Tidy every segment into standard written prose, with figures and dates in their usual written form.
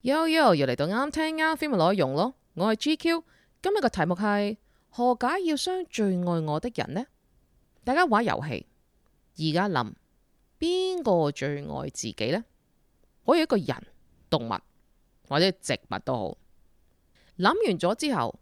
又嚟到啱聽啱 feel 嘅內容咯。我係 GQ，今日嘅題目係何解要傷最愛我的人呢？大家玩遊戲，而家諗邊個最愛自己呢？可以一個人、動物或者植物都好。諗完咗之後，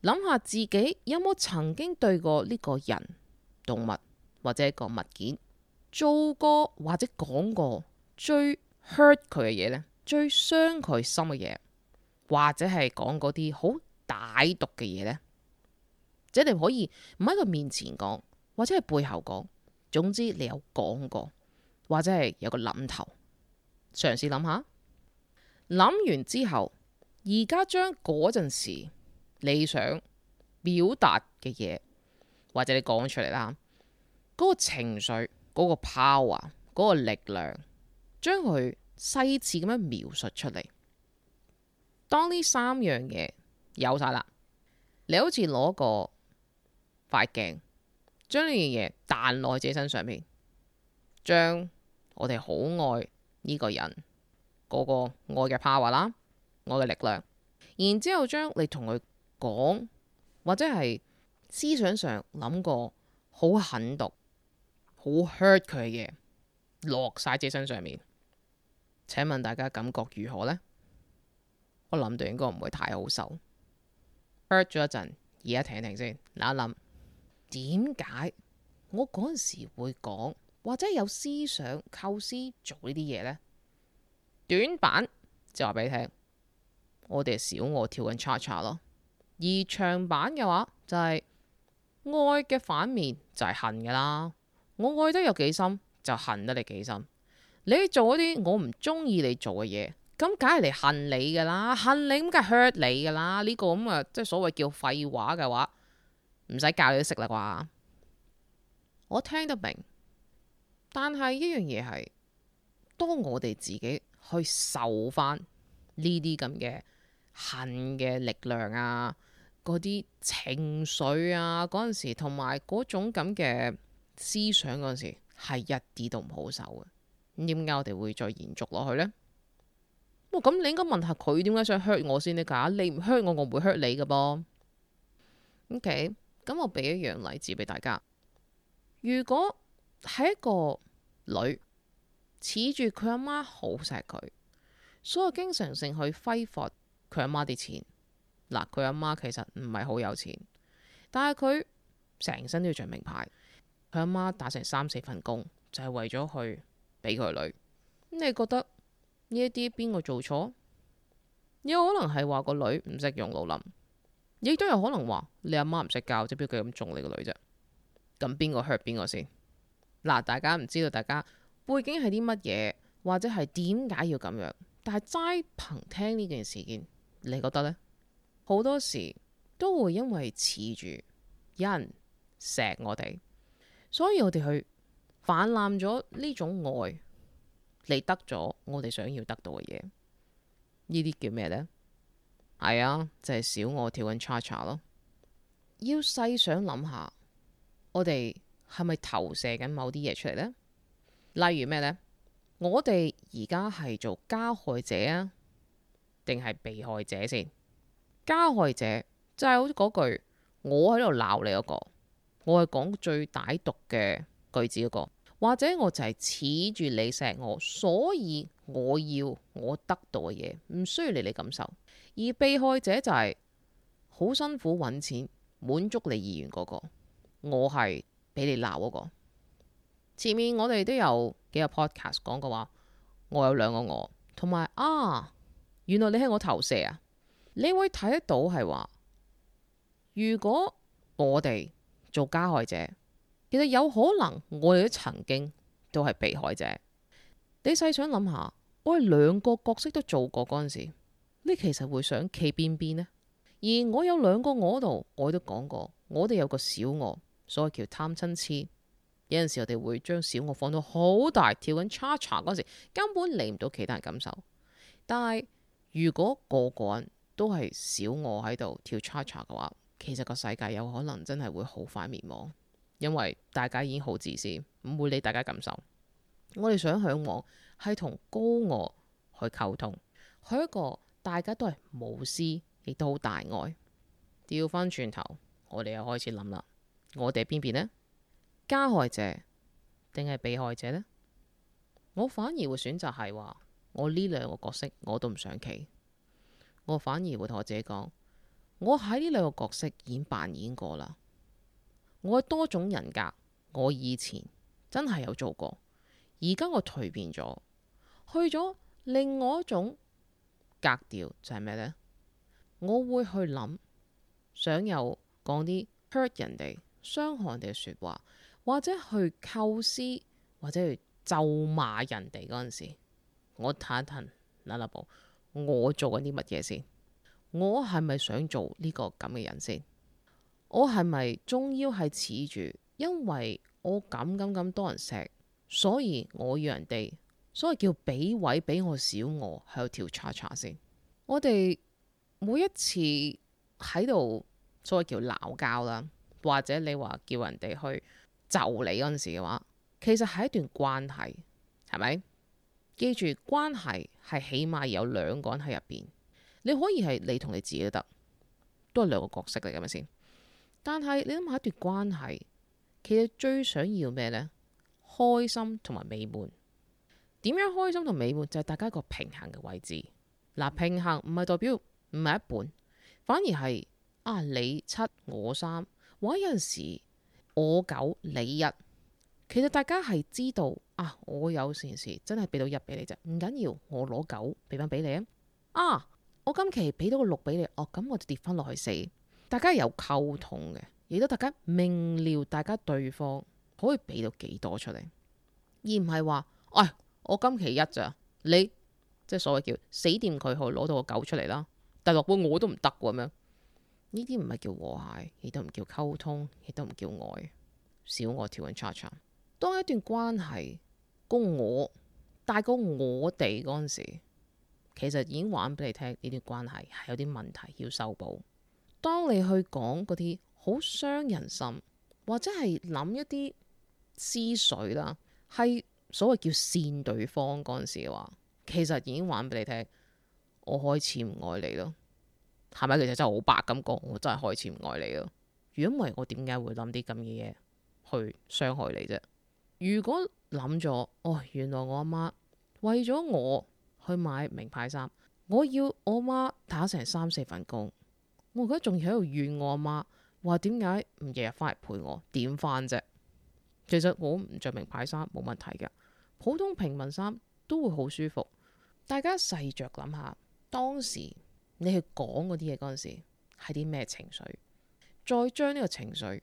諗下自己有冇曾經對過呢個人、動物或者一個物件做過或者講過最 hurt 佢嘅嘢呢？最傷佢心嘅嘢，或者係講嗰啲好歹毒嘅嘢呢？即係你可以唔喺佢面前講，或者係背後講，總之你有講過，或者係有個諗頭，嘗試諗下。諗完之後，而家將嗰陣時你想表達嘅嘢，或者你講出嚟啦，嗰個情緒、嗰個 power、嗰個力量，將佢細緻咁樣描述出嚟。當呢三樣嘢有晒啦，你好似攞個塊鏡，將呢樣嘢彈落自己身上面，將我哋好愛呢個人嗰個愛嘅 power 啦，愛嘅力量，然之後將你同佢講，或者係思想上諗過好狠毒、好 hurt 佢嘅嘢，落晒自己身上面。請問大家感覺如何呢？我諗到應該唔會太好受。hurt 咗一陣，而家停一停先，諗一諗，點解我嗰陣時會講，或者有思想構思做呢啲嘢呢？短版就話俾你聽，我哋小我跳緊 cha cha 咯。而長版嘅話就係愛嘅反面就係恨噶啦。我愛得有幾深，就恨得你幾深。你做嗰啲我唔中意你做嘅嘢，咁梗係嚟恨你噶啦，恨你咁梗係 hurt 你噶啦。呢個咁啊，即係所謂叫廢話嘅話，唔使教你都識啦啩。我聽得明，但係一樣嘢係，當我哋自己去受翻呢啲咁嘅恨嘅力量啊，嗰啲情緒啊，嗰陣時同埋嗰種咁嘅思想嗰陣時，係一啲都唔好受嘅。咁點解我哋會再延續落去呢？咁你應該問下佢點解想 hurt 我先呢？㗎，你唔 hurt 我，我唔會 hurt 你㗎噃。OK，咁我俾一樣例子俾大家。如果係一個女恃住佢阿媽好錫佢，所以經常性去揮霍佢阿媽啲錢。嗱，佢阿媽其實唔係好有錢，但係佢成身都要着名牌。佢阿媽打成3-4份工，就係為咗去俾佢女。你覺得呢一啲邊個做錯？有可能係話個女唔識用腦諗，亦都有可能話你阿媽唔識教，即係邊個咁縱你個女啫？咁邊個 hurt 邊個先？嗱，大家唔知道大家背景係啲乜嘢，或者係點解要咁樣？但係齋憑聽呢件事件，你覺得呢？好多時都會因為恃住有人錫我哋，所以我哋去泛濫咗呢種愛，嚟得咗我哋想要得到嘅嘢。呢啲叫咩呢？係啊，就係小我跳緊 cha cha 咯。要細想諗下，我哋係咪投射緊某啲嘢出嚟呢？例如咩呢？我哋而家係做加害者啊，定係被害者先？加害者就係好似嗰句，我喺度鬧你嗰個，我係講最歹毒嘅句子嗰個，或者我就係恃住你錫我，所以我要我得到嘅嘢，唔需要你感受。而被害者就係好辛苦揾錢滿足你意願嗰個，我係俾你鬧嗰個。前面我哋都有幾個 podcast 講過話，我有兩個我，同埋原來你係我投射啊！你會睇得到係話，如果我哋做加害者，其實有可能我哋都曾經都係被害者。你細想諗下，我哋兩個角色都做過嗰陣時，你其實會想企邊邊呢？而我有兩個我度，我都講過，我哋有個小我，所謂叫貪嗔痴。有陣時我哋會將小我放到好大，跳緊 cha cha 嗰時，根本理唔到其他人感受。但係如果個個人都係小我喺度跳 cha cha 嘅話，其實個世界有可能真係會好快滅亡，因為大家已經好自私，唔會理大家感受。我哋想向往係同高我去溝通，佢一個大家都係無私，亦都好大愛。調翻轉頭，我哋又開始諗啦，我哋邊邊呢？加害者定係被害者呢？我反而會選擇係話，我呢兩個角色我都唔想企，我反而會同我自己講，我喺呢兩個角色已經扮演過啦。我嘅多種人格，我以前真係有做過，而家我蛻變咗，去咗另外一種格調，就係咩呢？我會去諗，想有講啲 hurt 人哋、傷害人哋嘅說話，或者去構思，或者去咒罵人哋嗰陣時，我睇一睇嗱步，我做緊啲乜嘢先？我係咪想做呢個咁嘅人先？我係咪終腰係恃住，因為我咁多人錫，所以我要人哋，所謂叫俾位俾我小我喺度跳叉叉先。我哋每一次喺度所謂叫鬧交啦，或者你話叫人哋去就你嗰陣時嘅話，其實係一段關係，係咪？記住關係係起碼有兩個人喺入邊，你可以係你同你自己都得，都係兩個角色嚟嘅咪先。但係你諗下一段關係，其實最想要咩呢？開心同埋美滿。點樣開心同美滿？就係大家一個平衡嘅位置。嗱，平衡唔係代表唔係一半，反而係你七我三，或者有陣時我九你一。其實大家係知道我有件事真係俾到一俾你啫，唔緊要，我攞九俾翻俾你啊。我今期俾到個六俾你，咁我就跌翻落去四。大家有溝通嘅，亦都大家明瞭大家對方可以俾到幾多出嚟，而唔係話我今期一咋，你即係所謂叫死掂佢，可以攞到個九出嚟啦。但落半我都唔得咁樣，呢啲唔係叫和諧，亦都唔叫溝通，亦都唔叫愛。小我跳緊叉叉。當一段關係個我大過我哋嗰陣時，其實已經話俾你聽，呢段關係係有啲問題要修補。當你去講嗰啲好傷人心，或者係諗一啲思緒啦，係所謂叫善對方嗰陣時嘅話，其實已經話俾你聽，我開始唔愛你咯。係咪？其實真係好白咁講，我真係開始唔愛你咯。如果唔係，我點解會諗啲咁嘅嘢去傷害你啫？如果諗咗，原來我阿媽為咗我去買名牌衫，我要我阿媽打成3、4份工，我而家仲要喺度怨我阿媽，話點解唔日日翻嚟陪我？點翻啫？其實我唔着名牌衫冇問題㗎，普通平民衫都會好舒服。大家細着諗下，當時你去講嗰啲嘢嗰陣時係啲咩情緒？再將呢個情緒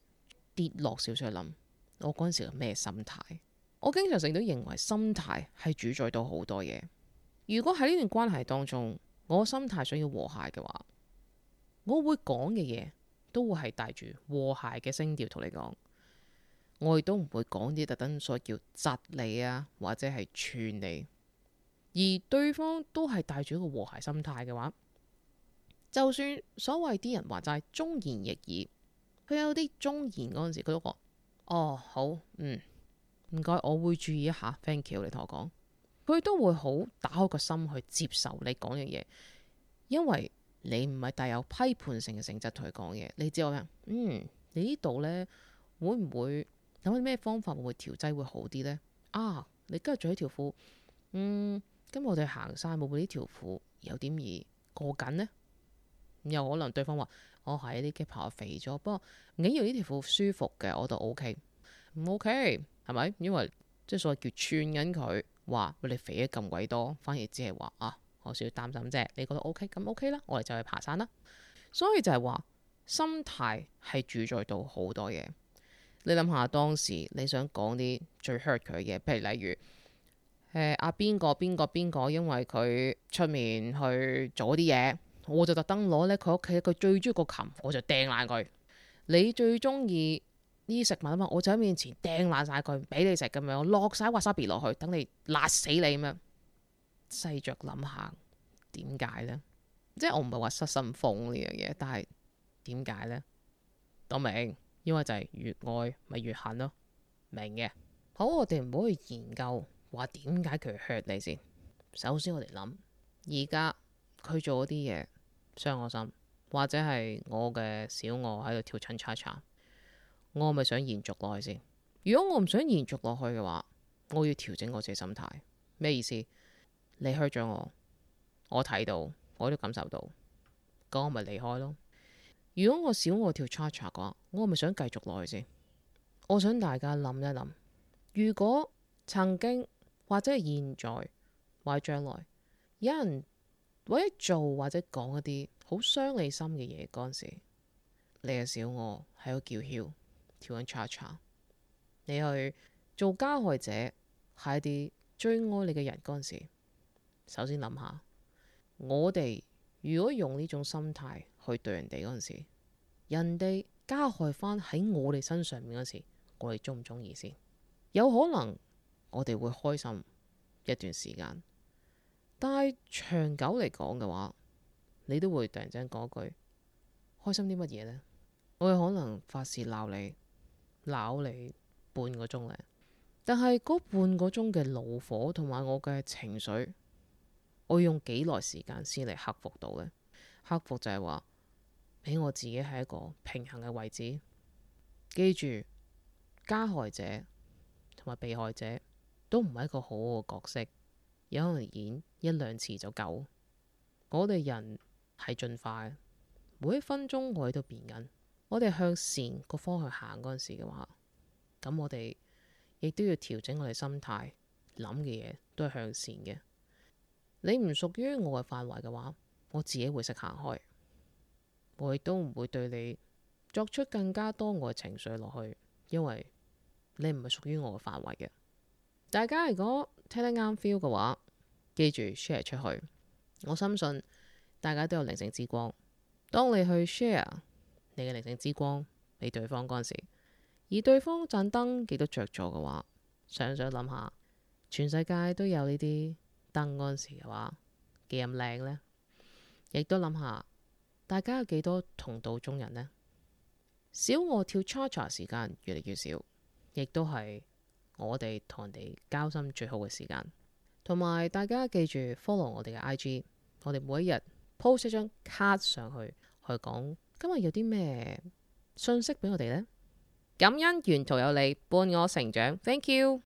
跌落少少去諗，我嗰陣時係咩心態？我經常性都認為心態係主宰到好多嘢。如果喺呢段關係當中，我心態想要和諧嘅話，我會講嘅嘢都會係帶住和諧嘅聲調同你講。我亦都唔會講啲特登所謂叫窒你啊，或者係串你。而對方都係帶住一個和諧心態嘅話，就算所謂啲人話齋忠言逆耳，佢有啲忠言嗰陣時，佢都講好，唔該，我會注意一下。Thank you，你同我講，佢都會好打開個心去接受你講嘅嘢，因為你唔係帶有批判性嘅性質同佢講嘢。你知我咩？你呢度呢，會唔會有啲咩方法會調劑會好啲呢？你今日着呢條褲，今日我哋行山會唔會呢條褲有點易過緊呢？有可能對方話係啲肌肉肥咗，不過唔緊要，呢條褲舒服嘅，我都 OK。唔 OK 係咪？因為即係所謂叫串緊佢，話你肥咗咁鬼多，反而只係話我少少擔心啫。你覺得 OK 咁 OK 啦，我哋就去爬山啦。所以就係話心態係主宰到好多嘢。你諗下當時你想講啲最 hurt 佢嘅嘢，譬如例如邊個，因為佢出面去做啲嘢，我就特登攞咧佢屋企佢最中意個琴，我就掟爛佢。你最中意呢啲食物啊嘛，我就喺面前掟爛晒佢，唔俾你食咁樣，落晒 wasabi 落去，等你辣死你咁樣。細着諗下點解呢？即係我唔係話失心瘋呢樣嘢，但係點解呢？都明，因為就係越愛咪越恨咯，明嘅。好，我哋唔好去研究話點解佢 hurt 你先。首先我哋諗，而家佢做嗰啲嘢傷我心，或者係我嘅小我喺度跳親叉叉，我係咪想延續落去先？如果我唔想延續落去嘅話，我要調整我自己心態。咩意思？你 hurt 咗我睇到，我都感受到，咁我咪離開咯。如果我小我跳叉叉嘅話，我係咪想繼續落去先？我想大家諗一諗，如果曾經或者係現在或者將來，有人為咗做或者講一啲好傷你心嘅嘢嗰陣時，你嘅小我喺度叫囂跳緊叉叉，你去做加害者係一啲最愛你嘅人嗰陣時，首先諗下，我哋如果用呢種心態去對人哋嗰陣時，人哋加害翻喺我哋身上面嗰時，我哋中唔中意先？有可能我哋會開心一段時間，但係長久嚟講嘅話，你都會突然之間講句開心啲乜嘢呢？我有可能發洩鬧你半個鐘咧，但係嗰半個鐘嘅怒火同埋我嘅情緒，我要用幾耐時間先嚟克服到呢？克服就係話俾我自己係一個平衡嘅位置。記住，加害者同埋被害者都唔係一個好好嘅角色，有可能演一兩次就夠。我哋人係進化嘅，每一分鐘我哋都變緊。我哋向善個方向行嗰陣時嘅話，咁我哋亦都要調整我哋心態，諗嘅嘢都係向善嘅。你唔屬於我嘅範圍嘅話，我自己會識行開，我亦都唔會對你作出更加多我嘅情緒落去，因為你唔係屬於我嘅範圍嘅。大家如果聽得啱 feel 嘅話，記住 share 出去。我深信大家都有靈性之光，當你去 share 你嘅靈性之光俾對方嗰陣時，而對方盞燈幾多着咗嘅話，想諗下，全世界都有呢啲燈嗰陣時嘅話，幾咁靚呢？亦都諗下，大家有幾多同道中人呢？小我跳 cha-cha 時間越嚟越少，亦都係我哋同人哋交心最好嘅時間。同埋大家記住 follow 我哋嘅 IG， 我哋每一日 post 一張卡上去，去講今日有啲咩信息俾我哋呢？感恩沿途有你伴我成長，Thank you。